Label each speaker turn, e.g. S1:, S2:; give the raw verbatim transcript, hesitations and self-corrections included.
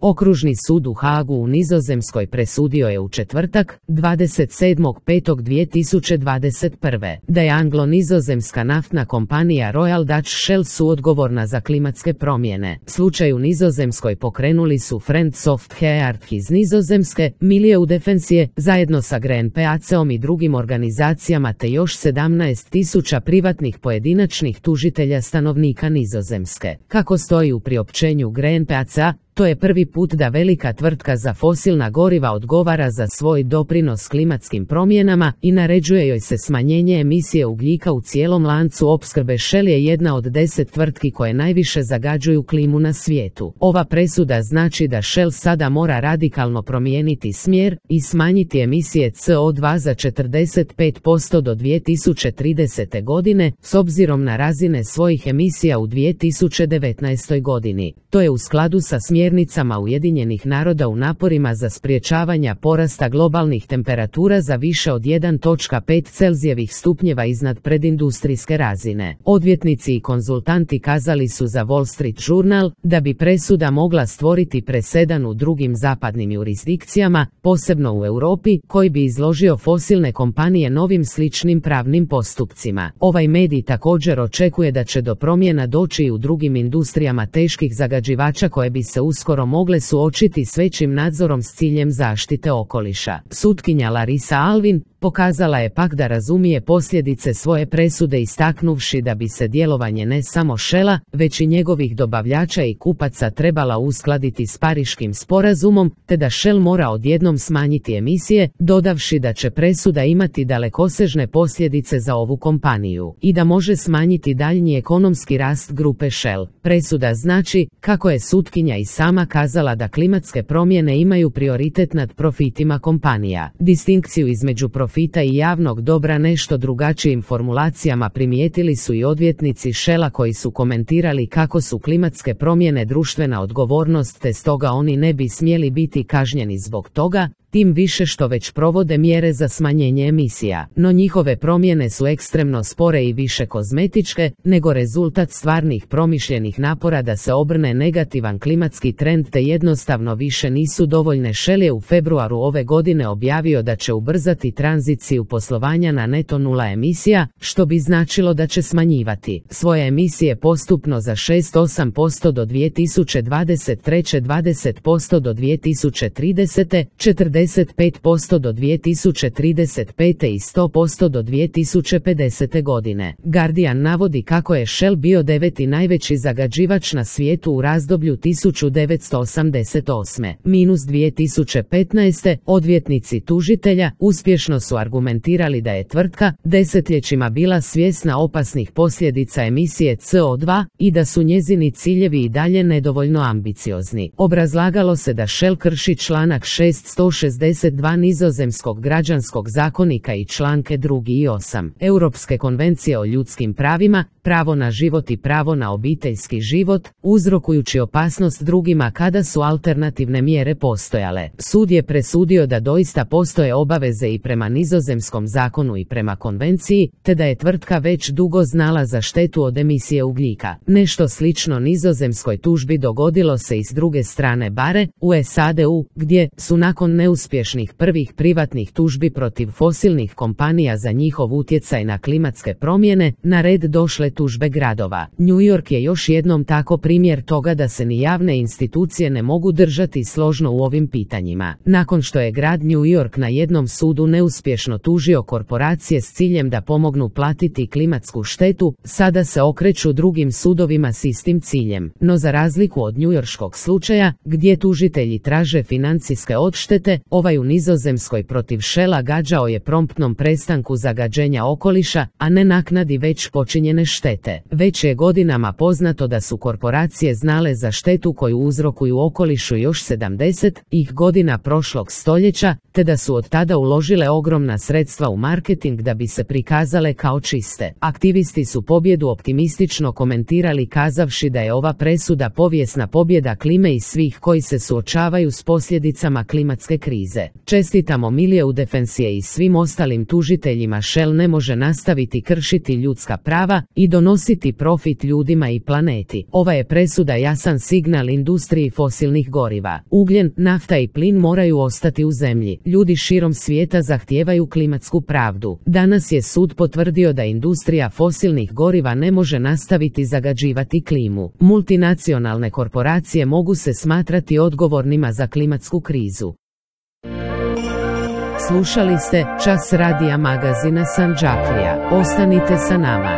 S1: Okružni sud u Haagu u Nizozemskoj presudio je u četvrtak, dvadeset sedmog petog dvije tisuće dvadeset prve, da je anglo-nizozemska naftna kompanija Royal Dutch Shell suodgovorna za klimatske promjene. Slučaj u Nizozemskoj pokrenuli su Friends of the Earth iz Nizozemske, Milieu Defensie, zajedno sa Greenpeaceom i drugim organizacijama te još sedamnaest tisuća privatnih pojedinačnih tužitelja stanovnika Nizozemske. Kako stoji u priopćenju Greenpeacea, to je prvi put da velika tvrtka za fosilna goriva odgovara za svoj doprinos klimatskim promjenama i naređuje joj se smanjenje emisije ugljika u cijelom lancu opskrbe. Shell je jedna od deset tvrtki koje najviše zagađuju klimu na svijetu. Ova presuda znači da Shell sada mora radikalno promijeniti smjer i smanjiti emisije C O dva za četrdeset pet posto do dvije tisuće tridesete. godine, s obzirom na razine svojih emisija u dvije tisuće devetnaestoj. godini. To je u skladu sa smjernicama Ujedinjenih naroda u naporima za sprječavanja porasta globalnih temperatura za više od jedan zarez pet Celzijevih stupnjeva iznad predindustrijske razine. Odvjetnici i konzultanti kazali su za Wall Street Journal da bi presuda mogla stvoriti presedan u drugim zapadnim jurisdikcijama, posebno u Europi, koji bi izložio fosilne kompanije novim sličnim pravnim postupcima. Ovaj medij također očekuje da će do promjena doći i u drugim industrijama teških zagađivača koje bi se uskoro mogle suočiti s većim nadzorom s ciljem zaštite okoliša. Sutkinja Larisa Alvin pokazala je pak da razumije posljedice svoje presude istaknuvši da bi se djelovanje ne samo Shella, već i njegovih dobavljača i kupaca trebala uskladiti s Pariškim sporazumom, te da Shell mora odjednom smanjiti emisije, dodavši da će presuda imati dalekosežne posljedice za ovu kompaniju i da može smanjiti daljnji ekonomski rast grupe Shell. Presuda znači, kako je sutkinja i sama kazala, da klimatske promjene imaju prioritet nad profitima kompanija. Distinkciju između profita i javnog dobra nešto drugačijim formulacijama primijetili su i odvjetnici Shella koji su komentirali kako su klimatske promjene društvena odgovornost te stoga oni ne bi smjeli biti kažnjeni zbog toga, tim više što već provode mjere za smanjenje emisija. No njihove promjene su ekstremno spore i više kozmetičke, nego rezultat stvarnih promišljenih napora da se obrne negativan klimatski trend te jednostavno više nisu dovoljne. Shell je u februaru ove godine objavio da će ubrzati tranziciju poslovanja na neto nula emisija, što bi značilo da će smanjivati svoje emisije postupno za šest zarez osam posto do dvije tisuće dvadeset treće, dvadeset posto do dvije tisuće tridesete, četrdeset pet posto do dvije tisuće trideset pete i sto posto do dvije tisuće pedesete. godine. Guardian navodi kako je Shell bio deveti najveći zagađivač na svijetu u razdoblju tisuću devetsto osamdeset osme minus dvije tisuće petnaeste. Odvjetnici tužitelja uspješno su argumentirali da je tvrtka desetljećima bila svjesna opasnih posljedica emisije C O dva i da su njezini ciljevi i dalje nedovoljno ambiciozni. Obrazlagalo se da Shell krši članak šesto šezdeset dva nizozemskog građanskog zakonika i članke drugi i osam Europske konvencije o ljudskim pravima, pravo na život i pravo na obiteljski život, uzrokujući opasnost drugima kada su alternativne mjere postojale. Sud je presudio da doista postoje obaveze i prema nizozemskom zakonu i prema konvenciji, te da je tvrtka već dugo znala za štetu od emisije ugljika. Nešto slično nizozemskoj tužbi dogodilo se i s druge strane bare, u S A D-u, gdje su nakon neuspješnih prvih privatnih tužbi protiv fosilnih kompanija za njihov utjecaj na klimatske promjene, na red došle tužbe gradova. New York je još jednom tako primjer toga da se ni javne institucije ne mogu držati složno u ovim pitanjima. Nakon što je grad New York na jednom sudu neuspješno tužio korporacije s ciljem da pomognu platiti klimatsku štetu, sada se okreću drugim sudovima s istim ciljem. No za razliku od njujorškog slučaja, gdje tužitelji traže financijske odštete, ovaj u Nizozemskoj protiv Shella gađao je promptnom prestanku zagađenja okoliša, a ne naknadi već počinjene štete. Već je godinama poznato da su korporacije znale za štetu koju uzrokuju okolišu još sedamdesetih godina prošlog stoljeća, te da su od tada uložile ogromna sredstva u marketing da bi se prikazale kao čiste. Aktivisti su pobjedu optimistično komentirali kazavši da je ova presuda povijesna pobjeda klime i svih koji se suočavaju s posljedicama klimatske krize. krize. Čestitamo Miliju Defensije i svim ostalim tužiteljima. Shell ne može nastaviti kršiti ljudska prava i donositi profit ljudima i planeti. Ova je presuda jasan signal industriji fosilnih goriva. Ugljen, nafta i plin moraju ostati u zemlji. Ljudi širom svijeta zahtijevaju klimatsku pravdu. Danas je sud potvrdio da industrija fosilnih goriva ne može nastaviti zagađivati klimu. Multinacionalne korporacije mogu se smatrati odgovornima za klimatsku krizu. Slušali ste Čas radija magazina Sandžaklija. Ostanite sa nama.